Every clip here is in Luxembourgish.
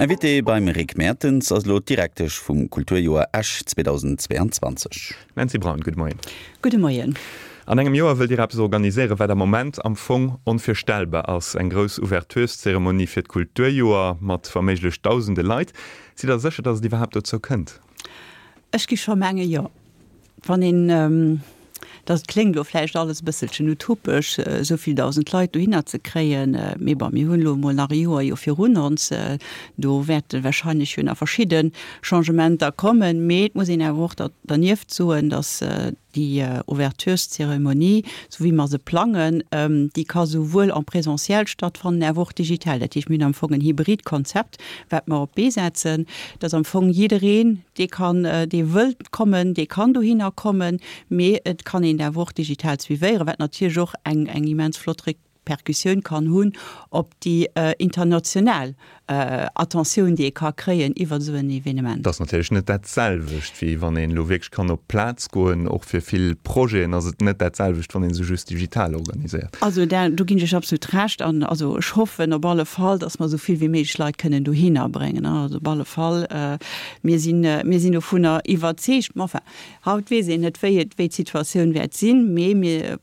Invité beim Rick Mertens ass elo d'Direktesch vum Kulturjoer Esch 2022. Nancy Braun, gudde Moien. Gudde Moien. An engem Joer wëllt Dir eppes organiséieren, wat am Moment am Fong onvirstellbar ass, eng grouss Ouvertureszeremonie fir d'Kulturjoer mat wa méiglech dausende Leit. Sidd Der sécher, datt et iwwerhaapt dozou kënnt? Ech gi scho menge jo. Wann een, dat kléngt elo vläicht alles e bësselchen utopesch, esou vill 1.000 Leit dohinner ze kréien, mee bon, mir hunn elo emol nach e Joer jo virun ons, do wäerte wahrscheinlech jo nach verschidde Changementer kommen. Mee et muss een awer och dernieft soen, datt déi Ouvertureszeremonie, esou wéi mer se plangen, déi ka souwuel en présentiel stattfannen, awer och digital. Dat heescht, mir hunn am Fong en hybrid Konzept, wat mer op d'Bee setzen, dass am Fong jiddereen, dee kann, dee wëllt kommen, dee kann dohinner kommen, mee et kann een awer och digital suivéieren, wat natierlech och eng, eng immens flott Repercussioun kann hunn op déi international Attentioun, déi ee ka kréien iwwert esou en Evenement. Et ass natierlech net dat selwecht, wéi wann een elo wierklech kann op d'Plaz goen. Och fir vill Projeten ass et net dat selwecht, wann ee se just digital organiséiert. Also do ginn ech Iech absolut Recht. An also ech hoffen op alle Fall, datt mer esou vill wéi méiglech Leit kënnen dohinner bréngen. Also op alle Fall, mir sinn, mir sinn dovunner iwwerzeegt. Mä enfin, haut weess een net, wéi et, wéi d'Situatioun wäert sinn. Mee mir,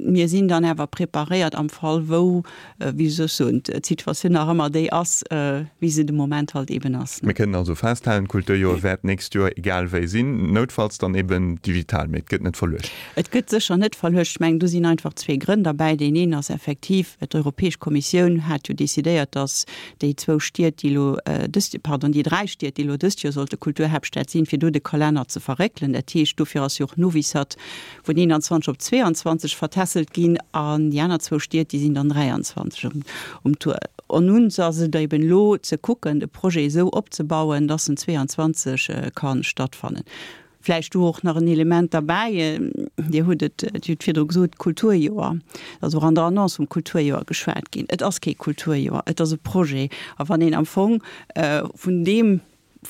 mir sinn dann awer preparéiert am Fall wou, wéi soll ech soen, d'Situatioun nach ëmmer déi ass, wéi se de Moment halt eben ass. Mir kënnen also festhalen, d'Kulturjoer wäert d'nächst Joer egal wéi sinn, noutfalls dann eben digital, mee et gëtt net verluecht. Et gëtt sécher net verluecht. Ech mengen, do sinn einfach zwee Grënn derbäi. Deen een ass effektiv, d'Europäesch Kommissioun hat jo decidéiert, datt déi zwou Stied, déi elo dëst, pardon, déi dräi Stied, déi elo dëst Joer sollte Kulturhaaptstad sinn, fir do de Kalenner ze verréckelen. Dat heescht, dofir ass jo och Novi Sad vun 21 op 22 vertässelt ginn an déi aner zwou Stied, déi sinn dann 23 um Tour. An uns ass et eben elo ze kucken, de Projet esou opzebauen, dass en 22 ka stattfannen. Vläicht do och nach en Element derbäi, Dir hutt et, Dir hutt virdru gesot, Kulturjoer, et ass och an der Annonce vum Kulturjoer geschwat ginn. Et ass kee Kulturjoer, et ass e Projet. A wann een am Fong vun deem,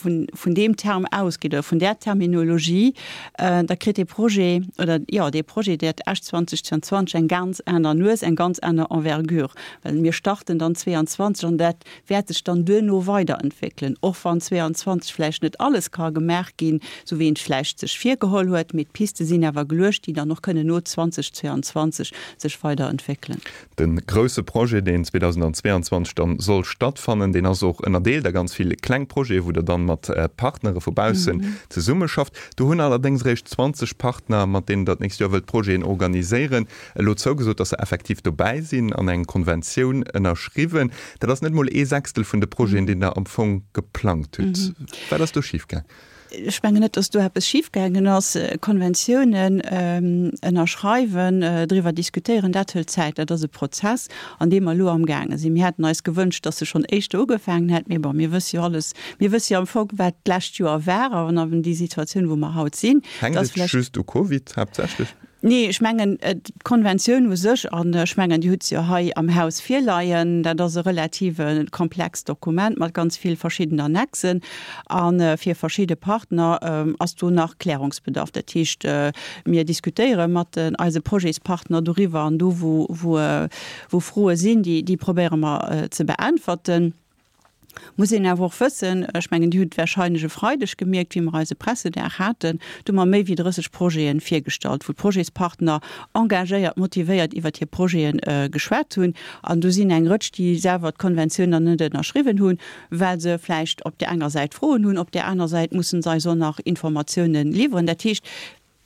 vun, vun deem Term ausgeet oder vun där Terminologie, da kritt dee Projet oder, jo, dee Projet, dat Esch 2022 eng ganz aner Nues, eng ganz aner Envergure, well mir starten dann 22 an dat wäert sech dann duerno weiderentwéckelen, och wann 22 vläicht net alles ka gemaach ginn, esou wéi een et vläicht sech virgeholl huet, mee d'Piste sinn awer geluecht, déi dann och kënnen no 2022 sech weiderentwéckelen. De grousse Projet, deen 2022 dann soll stattfannen, deen ass och ënnerdeelt a ganz vill kleng Projete, wou Der dann mat Partnere vu baussen zesummeschafft. Do hunn allerdéngs eréischt 20 Partner, mat deenen Der d'nächst Joer wëllt Projeten organiséieren, elo zougesot, dass se effektiv dobäi sinn an eng Konventioun ënnerschriwwen. Dat ass net mol ee Sechstel vun de Projeten, deen Der am Fong geplangt hutt. Wat ass do schifgaang? Ech mengen net, dass do eppes schifgaangen ass. Konventiounen ënnerschreiwen, driwwer diskutéieren, dat hëlt Zäit. Dat ass e Prozess, an deem mer elo amgaange sinn. Mir hätten eis gewënscht, dass e schonn éischter ugefaangen hätt. Mee bon, mir wësse jo alles, mir wësse jo am Fong, wat d'lescht Joer war an an déi Situatioun, wou mer haut sinn. Hänkt et just u Covid haaptsächlech? Nee, ech mengen, d'Konventioun u sech, an ech mengen, Dir hutt se jo hei am Haus virleien, dat ass e relative komplext Dokument mat ganz vill verschiddenen Annexen. A fir verschidde Partner ass do nach Klärungsbedarf. Dat heescht, mir diskutéiere mat eise Projetspartner doriwwer an do, wou Froe sinn, déi probéiere mer ze beäntwerten. Muss een awer och wëssen, ech mengen, Dir hutt et warscheinlech e Freideg gemierkt, wéi mer eise Pressedag haten, do hu mer méi wéi 30 Projete virgestallt, wou d'Projetspartner engagéiert, motivéiert iwwert hir Projete geschwat hunn. An do sinn eng Rëtsch, déi selwer d'Konventioun nach net ënnerschriwwen hunn, well se vläicht op där enger Säit Froen hunn, op där aner Säit mussen se eis och nach Informatiounen liwweren. Dat heescht,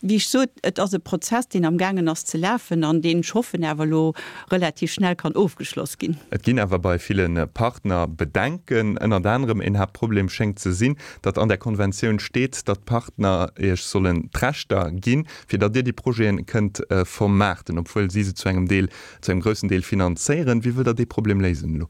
Wéi ech sot, et ass e Prozess, deen amgaangen ass ze lafen an deen, ech hoffen, awer elo relativ schnell kann ofgeschloss ginn. Et ginn awer bei ville Partner Bedenken. Ënnert anerem een Haaptproblem schéngt ze sinn, datt an der Konventioun steet, datt d'Partner Iech sollen d'Rechter ginn, fir datt Dir déi Projete kënnt vermaarten, obwuel si se zu engem Deel, zu engem groussen Deel finanzéieren. Wéi wëllt Der dee Problem léisen elo?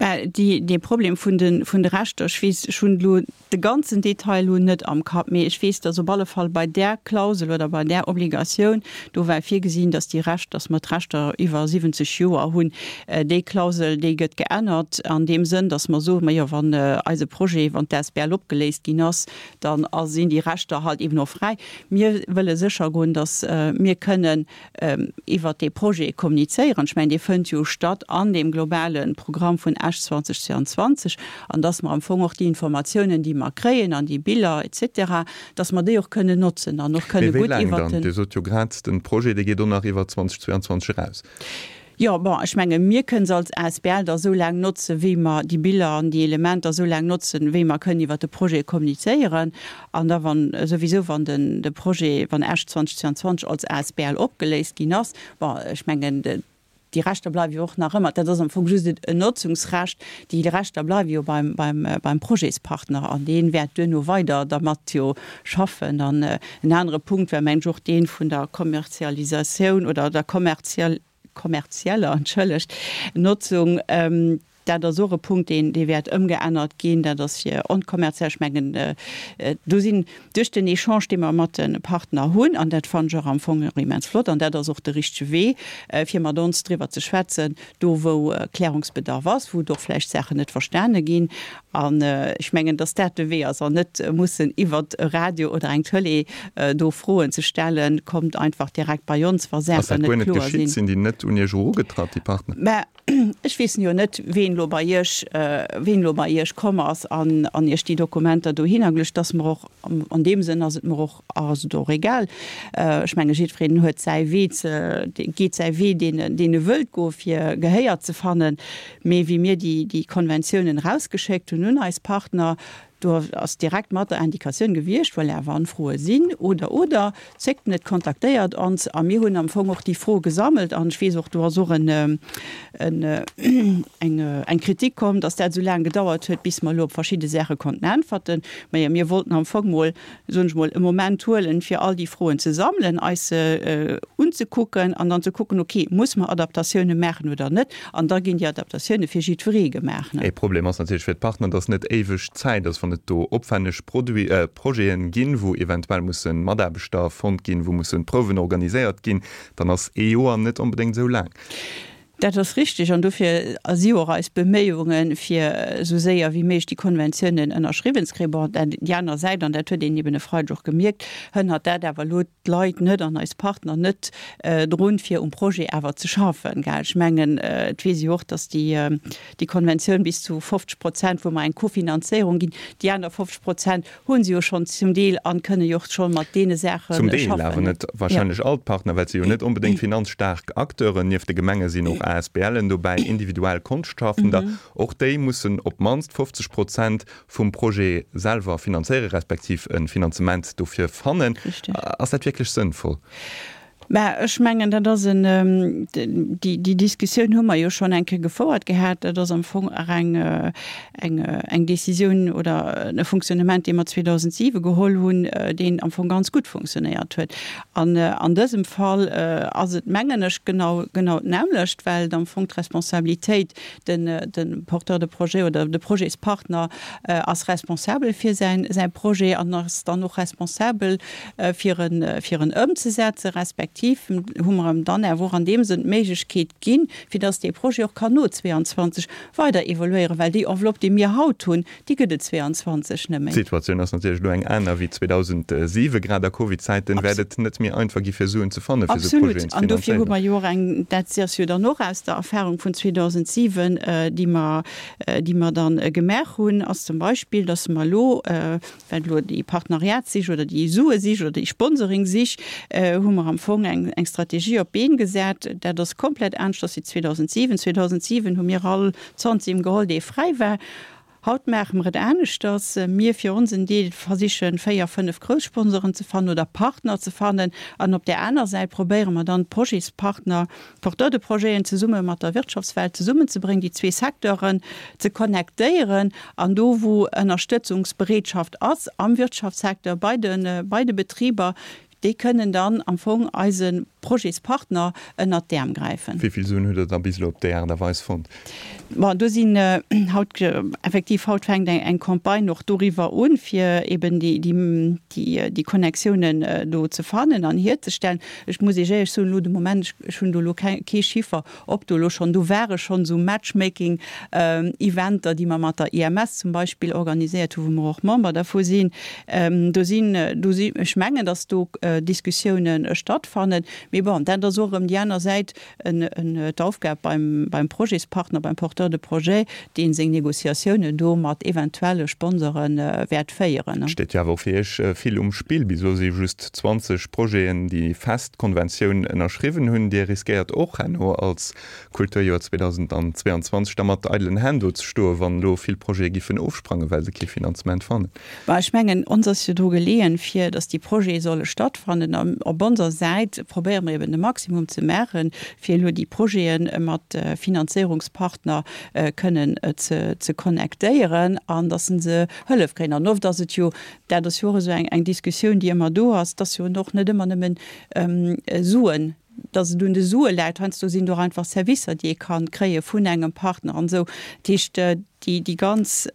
Bah, déi, dee Problem vun de, vun de Rechter, ech weess, ech hunn elo de ganzen Detail elo net am Kapp, mee ech weess, dass op alle Fall bei där Klausel oder bei där Obligatioun, do war virgesinn, dass déi Recht, dass mer d'Rechter iwwer 70 Joer hunn. Déi Klausel, déi gëtt geännert an deem Sënn, dass mer soen, majo, wann eise Projet, wann d'asbl opgeléist ginn ass, dann sinn déi Rechter halt eben och fräi. Mir wëlle séchergoen, dass mir kënnen iwwert dee Projet kommunizéieren. Ech mengen, dee fënnt jo statt an deem globale Programm vun Esch. Esch 2022, an dass mer am Fong och déi Informatiounen, déi mer kréien an déi Biller et cetera, dass mer déi och kënnen notzen an och kënne gutt iwwert den. Mee wéi laang dann? Dir sot jo grad, den Projet, dee geet och nach iwwer 2022 eraus. Jo, bon, ech menge mir kënnen se als asbl da esou laang notzen, wéi mer déi Biller an déi Elementer esou laang notzen, wéi mer kënnen iwwert de Projet kommunizéieren. An da wann souwisou, wann den de Projet, wann Esch 2022 als asbl opgeléist ginn ass, bon, ech mengen, déi Rechter bleiwe jo och nach ëmmer, dat ass am Fong just en Notzungsrecht, déi Rechter bleiwe jo beim, beim, beim Projetspartner an dee wäert duerno weider dermat jo schaffen. An en anere Punkt war, mengen ech, och dee vun der Kommerzialisatioun oder der kommerziell, kommerzieller, entschëllegt, Notzung. Dat ass och e Punkt, deen, dee wäert ëmgeännert ginn. Dat ass fir onkommerziell. Ech mengen, do sinn duerch den Echange, dee mer mat de Partner hunn, an dat fannen ech och am Fong och immens flott, an dat ass och de richtege Wee, fir mat ons driwwer ze schwätzen, do wou Klärungsbedarf ass, wou et och vläicht Saachen net verstane ginn. An ech mengen, dass dat de Wee ass, an net mussen iwwert e Radio oder eng Tëlee do Froen ze stellen. Kommt einfach direkt bei ons, wa Saachen net kloer sinn. Ass dat guer net geschitt? Sinn déi net un Iech erugetratt, déi Partner? Mä ech weess jo net, ween elo bei Iech, ween elo bei Iech komm ass an an Iech déi Dokumenter dohinner geluecht. Dass mer och, an deem Sënn ass et mer och, ass et och egal. Ech menge jiddwereen huet säi Wee ze, geet säi Wee, deen en, deen e wëllt goen, fir Gehéier ze fannen. Mee wéi mir déi, déi Konventiounen erausgeschéckt hunn un eis Partner, do ass direkt mat der Indikatioun gewiescht, voilà, wann Froe sinn oder, oder, zéckt net, kontaktéiert ons. A mir hunn am Fong och déi Froe gesammelt an ech weess och, do ass och en, en, eng, eng Kritik komm, dass dat esou laang gedauert huet, bis mer elo op verschidde Saache konnten äntwerten. Majo, mir wollten am Fong mol soen ech mol, e Moment huelen, fir all déi Froen ze sammelen, eis se unzekucken an dann ze kucken, okay, muss mer Adaptatioune maachen oder net? An da ginn déi Adaptatioune fir jiddweree gemaach. Ee Problem ass natierlech fir d'Partner, dass net éiweg Zäit ass, wann et do opwenneg Projeten ginn, wou eventuell musse Mataarbechter fonnt ginn, wou musse Prouwen organiséiert ginn, dann ass ee Joer net onbedéngt esou laang. Dat ass richtig an dofir si jo och eis Beméiungen, fir esou séier wéi méiglech déi Konventiounen ënnerschriwwen ze kréien. Bon, déi aner Säit, an dat huet een eben e Freideg och gemierkt, hënnert dat awer elo d'Leit net an eis Partner net drun, fir um Projet awer ze schaffen. Gell, ech mengen, et weess ee jo och, datt déi, déi Konventioun bis zu 50 Prozent, wou mer eng Kofinanzéierung ginn, déi aner 50 Prozent Hunn se jo schonn zum Deel an kënne jo och schonn mat deene Saache schaffen. Zum Deel, awer net wahrscheinlech all d'Partner, well et si jo net onbedéngt finanzstaark Acteuren. Nieft de Gemenge sinn och ASBLen dobäi, individuell Konschtschafender. Och déi mussen op d'mannst 50 Prozent vum Projet selwer finanzéieren, respektiv e Finanzement dofir fannen. Ass dat wierklech sënnvoll? Mä ech mengen, dat ass en, déi, déi Diskussioun hu mer jo schonn eng Kéier gefouert gehat. Dat ass am Fong och eng, eng, eng Décisioun oder e Fonctionnement, dee mer 2007 geholl hunn, deen am Fong ganz gutt funktionéiert huet. An an dësem Fall ass et, mengen ech, genau, genau d'nämmlecht, well et am Fong d'Responsabilitéit, den, de Porteur de projet oder de Projetspartner ass responsabel fir säin, säi Projet an ass dann och responsabel, fir en, fir en ëmzesetzen, respektiv hu mer em dann awer och an deem Sënn d'Méiglechkeet ginn, fir dass dee Projet och kann no 22 weider evoluéieren, well déi Enveloppe, déi mir haut hunn, déi gëtt et 22 net méi. D'Situatioun ass natierlech elo eng aner wéi 2007. Grad a Covid-Zäiten wäert et net méi einfach gi fir Suen ze fannen, fir esou Projeten ze finanzéieren. Absolut. An dofir hu mer jo och eng, dat ass jo dann och aus der Erfahrung vun 2007, déi mer, déi mer dann gemaach hunn, ass zum Beispill, dass mer elo, Wat elo déi Partenariatssich oder déi Suesich oder déi Sponsoring-Sich, hu mer am Fong eng eng Strategie op d'Been gesat. Dat ass komplett aneschters wéi 2007. 2007 hu mir all Zantimm geholl, dee fräi war. Haut maache mer et aneschters. Mir fir onsen Deel versichen, véier, fënnef grouss Sponsoren ze fannen oder Partner ze fannen. An op där aner Säit probéiere mer dann, d'Projetspartner, Porteurs de projeten zesumme mat der Wirtschaftswelt zesummenzebréngen, déi zwee Secteuren ze connectéieren an do wou Ënnerstëtzungsbereetschaft ass am Wirtschaftssecteur bei de bei de Betriber, déi kënnen dann am Fong eise Projetspartner ënnert d'Äerm gräifen. Wéi vill Suen hutt Der da bis elo op déi Aart a Weis fonnt? Bon, do sinn haut, effektiv haut fänkt eng eng Campagne och doriwwer un, fir eben déi déi déi Connectiounen do ze fannen an hierzestellen. Ech muss Iech éierlech soen, elo de Moment, ech hunn do elo kee Chiffer, ob do elo schonn, do ware schonn esou Matchmaking Eventer, déi mer mat der IMS zum Beispill organiséiert hu wou mer och Member dervu sinn. Do sinn, do si, ech mengen, datt do Diskussiounen stattfannen. Mee bon, dat ass och erëm déi aner Säit, d'Aufgab beim, beim Projetspartner, beim Porteur de projet, dee seng Négociatiounen do mat eventuelle Sponsore wäert féieren. Et steet jo awer och fir Iech vill um Spill. Bis elo si just 20 Projeten, déi fest d'Konventioun ënnerschriwwen hunn. Dir riskéiert och herno als Kulturjoer 2022 da mat eidelen Hänn do ze stoen, wann elo vill Projete giffen ofsprangen, well se kee Finanzement fannen. Mä ech mengen, ons ass jo dru geleeën, fir datt déi Projete solle stattfannen. An op onser Säit probéiere mer eben de Maximum ze maachen, fir elo déi Projete mat Finanzéierungspartner kënnen ze connectéieren an datt se se Hëllef kréien. An oft ass et jo, dat ass jo och esou eng Diskussioun, déi ëmmer do ass, et ass jo och net ëmmer nëmmen Suen, datt et un de Sue läit. Heiansdo sinn et och einfach Servicer, déi ee ka kréie vun engem Partner an esou. Dat heescht, déi ganz,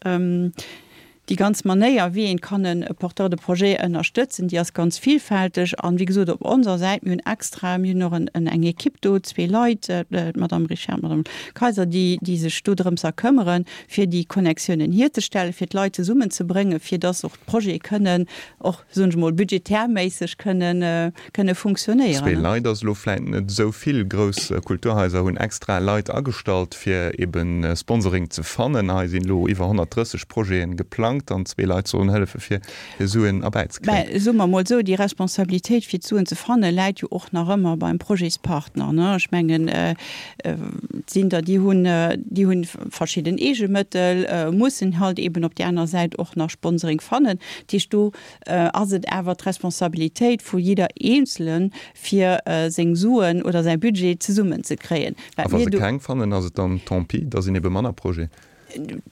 déi ganz Manéier, wéi een kann e Porteur de projet ënnerstëtzen, déi ass ganz vielfälteg. An, wéi gesot, op onser Säit, mir hunn extra, mir hunn och en, eng Equipe do, zwee Leit, d'Madame Richard, d'Madame Kayser, déi, déi sech do drëms a këmmeren, fir déi Connectiounen hierzestellen, fir d'Leit zesummenzebréngen, fir dass och d'Projete kënnen och, soen ech emol, budgetärméisseg kënnen, kënne funktionéieren. Zwee Leit ass elo vläit net esou vill. Grouss Kulturhaiser hunn extra Leit agestallt, fir ebe Sponsoring ze fannen. Hei sinn elo iwwer 130 Projete geplangt an zwee Leit sollen hëllefe fir Suen erbäizekréien. Mä soe mer emol esou, déi Responsabilitéit fir d'Suen ze fanne läit jo och nach ëmmer beim Projetspartner, ne? Ech mengen, et sinn der, déi hunn, déi hunn verschidden Eegemëttel, mussen halt eben op där aner Säit och nach Sponsoring fannen. Dat heescht, do ass et awer d'Responsabilitéit vu jidder Eenzelen, fir seng Suen oder säi Budget zesummen ze kréien. A wa se keng fannen, ass et dann tant pis, da sinn ebe manner Projeten.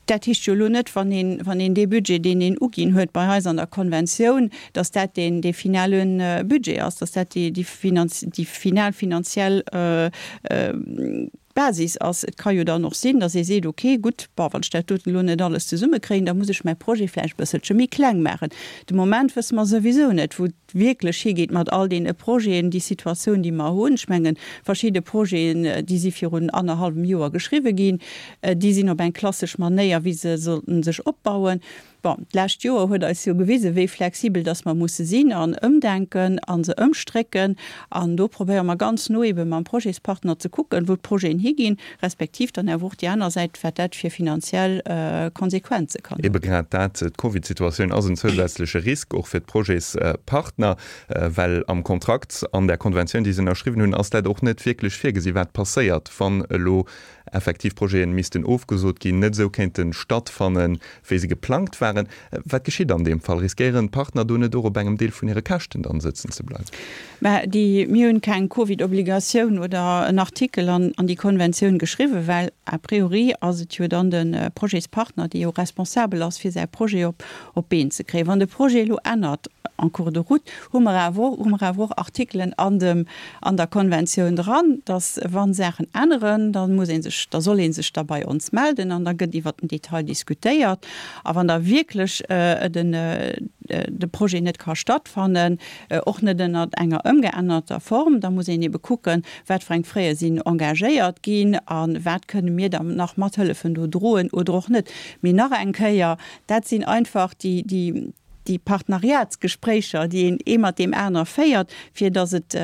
Dat heescht jo elo net, wann een, wann een dee Budget, deen een uginn huet bei eis an der Konventioun, datt dat deen, dee finale Budget ass, datt dat déi, déi final finanziell Basis ass. Et ka jo dann och sinn, datt ee seet, ok, gutt, bon, wann ech dat doten elo net alles zesummekréien, da muss ech mäi Projet vläicht e bësselche méi kleng maachen. De Moment wësse mer souwisou net, wou et wierklech higeet mat all deene Projeten, déi Situatioun, déi mer hunn. Ech mengen, verschidde Projeten, déi si virun annerhallwem Joer geschriwwe ginn, déi sinn op eng klassesch Manéier, wéi se sollten sech opbauen. Bon, d'lescht Joer huet eis jo gewisen, wéi flexibel dass mer musse sinn an ëmdenken a se ëmstrécken. An do probéiere mer ganz no ebe mam Projetspartner ze kucken, wou d'Projeten higinn, respektiv dann awer och déi aner Säit, wat dat fir finanziell Konsequenze kann hunn. Ebe grad dat, d'Covidsituatioun ass en zousätzleche Risk och fir d'Projetspartner, well am Kontrakt, an där Konventioun, déi se ënnerschriwwen hunn, ass dat och net wierklech virgesi wat passéiert, wann elo effektiv Projeten missten ofgesot ginn, net esou kéinte stattfannen, wéi se geplangt waren. Wat geschitt an deem Fall? Riskéieren d'Partner do net och op engem Deel vun hire Käschten dann sëtzen ze bleiwen? Mä déi, mir hunn keng Covid-Obligatioun oder en Artikel an an déi Konventioun geschriwwen, well a priori ass et jo dann de Projetspartner, dee jo responsabel ass, fir säi Projet op op d'Been ze kréien. Wann de Projet elo ännert en cours de route, hu mer awer och, hu mer awer och Artikelen an dem, an der Konventioun dran, dass wa Saachen änneren, da muss ee sech, da soll ee sech da bei ons melden an da gëtt iwwert den Detail diskutéiert. A wann da wierklech den, de Projet net ka stattfannen, och net ënnert enger ëmgeännerter Form, da muss een ebe kucken, wat fir eng Frais sinn engagéiert ginn a wat kënne mir da nach mathëllefen do droen oder och net. Mee nach eng Kéier, Dat sinn einfach déi, déi, déi Partneriatsgespréicher, déi een ee mat deem aner féiert, fir datt et,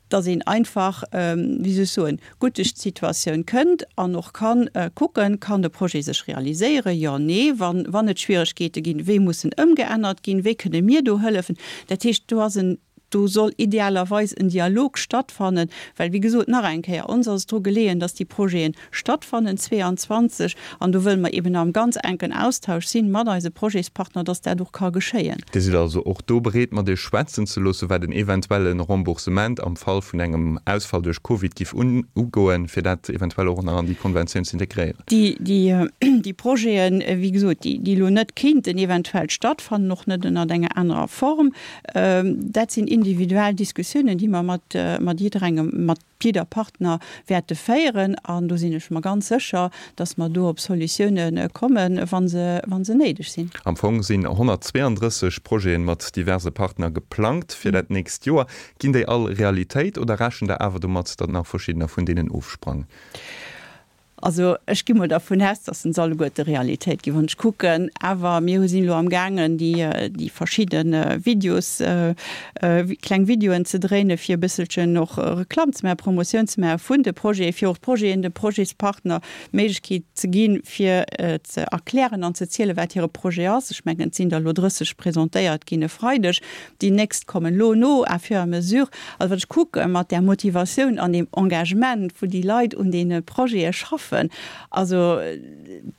datt een einfach, wéi soll ech soen, gutt duerch d'Situatioun kënnt an och ka kucken, Kann de Projet sech realiséieren? Jo, nee. Wann, wann et Schwieregkeete ginn, wéi muss en ëmgeännert ginn? Wéi kënne mir do hëllefen? Dat heescht, do ass en Do soll idealerweis en Dialog stattfannen, well, wéi gesot, nach eng Kéier, ons ass et dru geleeën, dass déi Projete stattfannen 22, an do wëlle mer eben am ganz enken Austausch sinn mat eise Projetspartner, dass dat och ka geschéien. Dir sidd also och do bereet, mat Iech schwätzen ze loossen, wat en eventuelle Remboursement am Fall vun engem Ausfall duerch Covid giff ugoen, fir dat eventuell och nach an déi Konventioun ze integréieren? Déi Projeten, wéi gesot, déi elo net kéinten eventuell stattfannen, och net ënnert enger anerer Form, Dat sinn individuell Diskussiounen, déi mer mat, mat jidderengem, mat jidder Partner wäerte féieren. An do sinn ech mer ganz sécher, dass mer do op Solutioune kommen, wa se, wa se néideg sinn. Am Fong sinn 132 Projete mat diverse Partner geplangt fir dat nächst Joer. Ginn déi all Realitéit oder rechent Der awer domat, datt nach verschiddener vun deenen ofsprangen? Also ech gi mol dervun aus, dass se alleguerte Realitéit ginn, wann ech kucken. Awer mir hu sinn elo amgaangen, déi, déi verschidde Videos, kleng Videoen ze dréinen, fir e bësselchen och Reklamm ze maachen, Promotioun ze maache vun de Projeten, fir och d'Projeten, de Projetspartner d'Méiglechkeet ze ginn, fir ze erklären an ze zielen, wat hire Projet ass. Ech mengen, et sinn der elo 30 presentéiert ginn e Freideg. Déi nächst kommen elo no, à fur et à mesure. Also wann ech kucke mat där Motivatioun an deem Engagement, wou déi Leit un deene Projete schaffen, also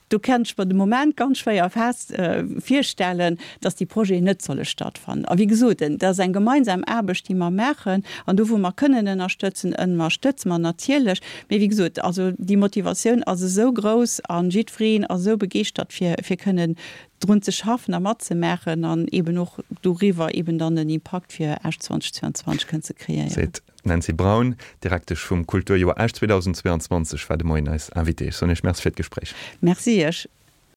do kann ech mer de Moment ganz schwéier fest virstellen, dass déi Projeten net solle stattfannen. A wéi gesot, dat ass eng gemeinsam Aarbecht, déi mer maachen. An do wou mer kënnen ënnerstëtzen, ënnerstëtze mer natierlech. Mee wéi gesot, also déi Motivatioun ass esou grouss a jiddwereen ass esou begeeschtert fir fir kënnen drun ze schaffen a matzemaachen an eeben och doriwwer eeben dann en Impakt fir Esch 2022 kënnen ze kreéieren. Seet d'Nancy Braun, Direktesch vum Kulturjoer Esch 2022, war de Moien eis Invitée. Ech soen Iech Merci fir d'Gespréich. Merci Iech.